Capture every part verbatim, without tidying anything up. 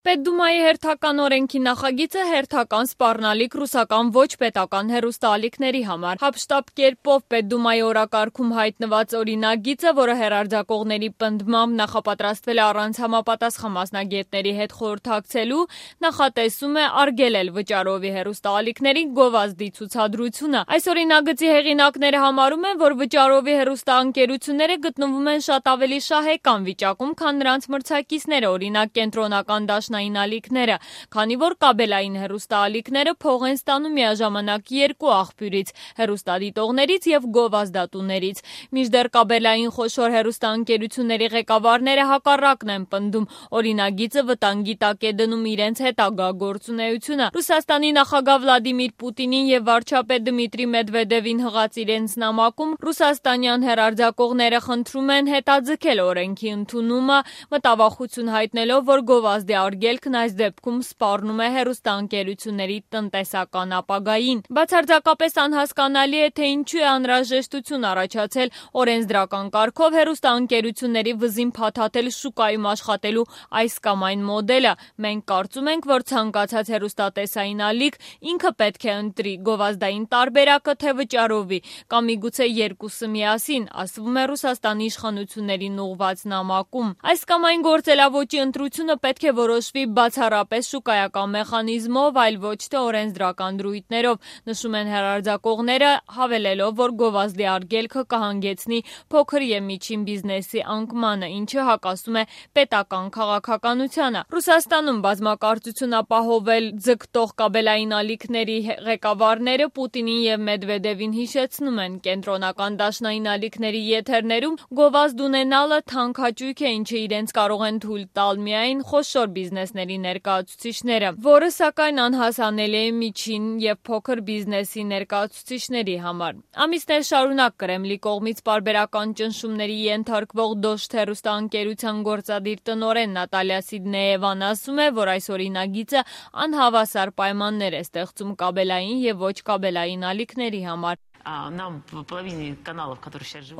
Պետդումայի հերթական օրենքի նախագիծը հերթական սպառնալիք ռուսական ոչ պետական հեռուստաալիքների համար։ Հապշտապ կերպով Պետդումայի օրակարգում հայտնված օրինագիծը, որը հեռարձակողների պնդմամբ նախապատրաստվել է առանց համապատասխան մասնագետների հետ խորհրդակցելու, նախատեսում է արգելել վճարովի հեռուստաալիքների գովազդի ցուցադրությունը։ Այս օրինագծի հեղինակները համարում են, որ վճարովի հեռուստաընկերությունները գտնվում են շատ ավելի շահեկան վիճակում, քան նրանց մրցակիցները, օրինակ կենտրոնական դաշնային ալիքները, քանի որ կաբելային հեռուստաալիքները փող են ստանում միաժամանակ երկու աղբյուրից՝ հեռուստադիտողներից և գովազդատուներից։ Մինչդեռ կաբելային խոշոր հեռուստաընկերությունների ղեկավարները հակառակն են պնդում, օրինագիծը վտանգի տակ է դնում իրենց հետագա գործունեությունը։ Ռուսաստանի նախագահ Վլադիմիր Պուտինին և վարչապետ Դմիտրի Մեդվեդևին հղած իրենց նամակում ռուսաստանյան հեռարձակողները խնդրում են հետաձգել օրենքի ընդունումը, մտավախություն հայտնելով, որ գովազդի արգելքն այս դեպքում սպառնում է հեռուստաընկերությունների տնտեսական ապագային։ Բացարձակապես անհասկանալի է, թե ինչու է անհրաժեշտություն առաջացել օրենսդրական կարգով հեռուստաընկերությունների վզին փաթաթել շուկայում աշխատելու այս կամ այն մոդելը։ Մենք կարծում ենք, որ ցանկացած հեռուստատեսային ալիք ինքը պետք է ընտրի գովազդային տարբերակը, թե վճարովի, կամ միգուցե երկուսը միասին, ասվում է Ռուսաստանի իշխանություններին ուղղված նամակում։ Այս կամ այն գործելավոճի ընտրությունը պետք է որոշվի բացառապես շուկայական մեխանիզմով, այլ ոչ թե օրենսդրական դրույթներով, նշում են հեռարձակողները, հավելելով, որ գովազդի արգելքը կհանգեցնի փոքր և միջին բիզնեսի անկմանը, ինչը հակասում է պետական քաղաքականությանը։ Ռուսաստանում բազմակարծություն ապահովել ձգտող կաբելային ալիքների ղեկավարները Պուտինին և Մեդվեդևին հիշեցնում են, կենտրոնական դաշնային ալիքների եթերներում գովազդ ունենալը թանկ հաճույք է, ինչը իրենց կարող են թույլ տալ միայն խոշոր բիզնեսների ներկայացուցիչները, որը սակայն անհասանելի է միջին և փոքր բիզնեսի ներկայացուցիչների համար։ Ամիսներ շարունակ Կրեմլի կողմից պարբերական ճնշումների ենթարկվող Դոշտ հեռուստաընկերության գործադիր տնօրեն Նատալիա Սիդնեևան ասում է, որ այս օրինագիծը անհավասար պայմաններ է ստեղծում կաբելային և ոչ կաբելային ալիքների համար։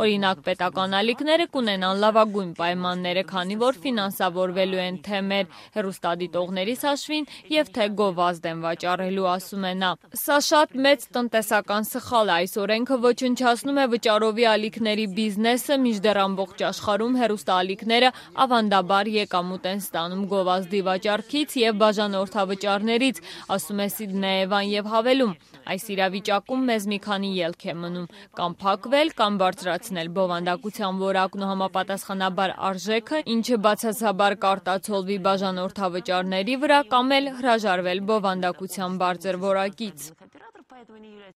Օրինակ, պետական ալիքները կունենան լավագույն պայմանները, քանի որ ֆինանսավորվելու են թե մեր հեռուստադիտողներիս հաշվին և թե գովազդ են վաճառելու, ասում է նա։ Սա շատ մեծ տնտեսական սխալ է, այս օրենքը ոչնչացնում է վճարովի ալիքների բիզնեսը, մինչդեռ ամբողջ աշխարհում հեռուստաալիքները ավանդաբար եկամուտ են ստանում գովազդի վաճառքից և բաժանորդավճարներից, ասում է Սիդնեևան և հավելում. այս իրավիճակում մեզ մի քանի ելք է մնում՝ կամ փակվել, կամ բարձրացնել բովանդակության որակն ու համապատասխանաբար արժեքը, ինչը բացասաբար կարտացոլվի բաժանորդավճարների վրա, կամ էլ հրաժարվել բովանդակության բարձր որակից։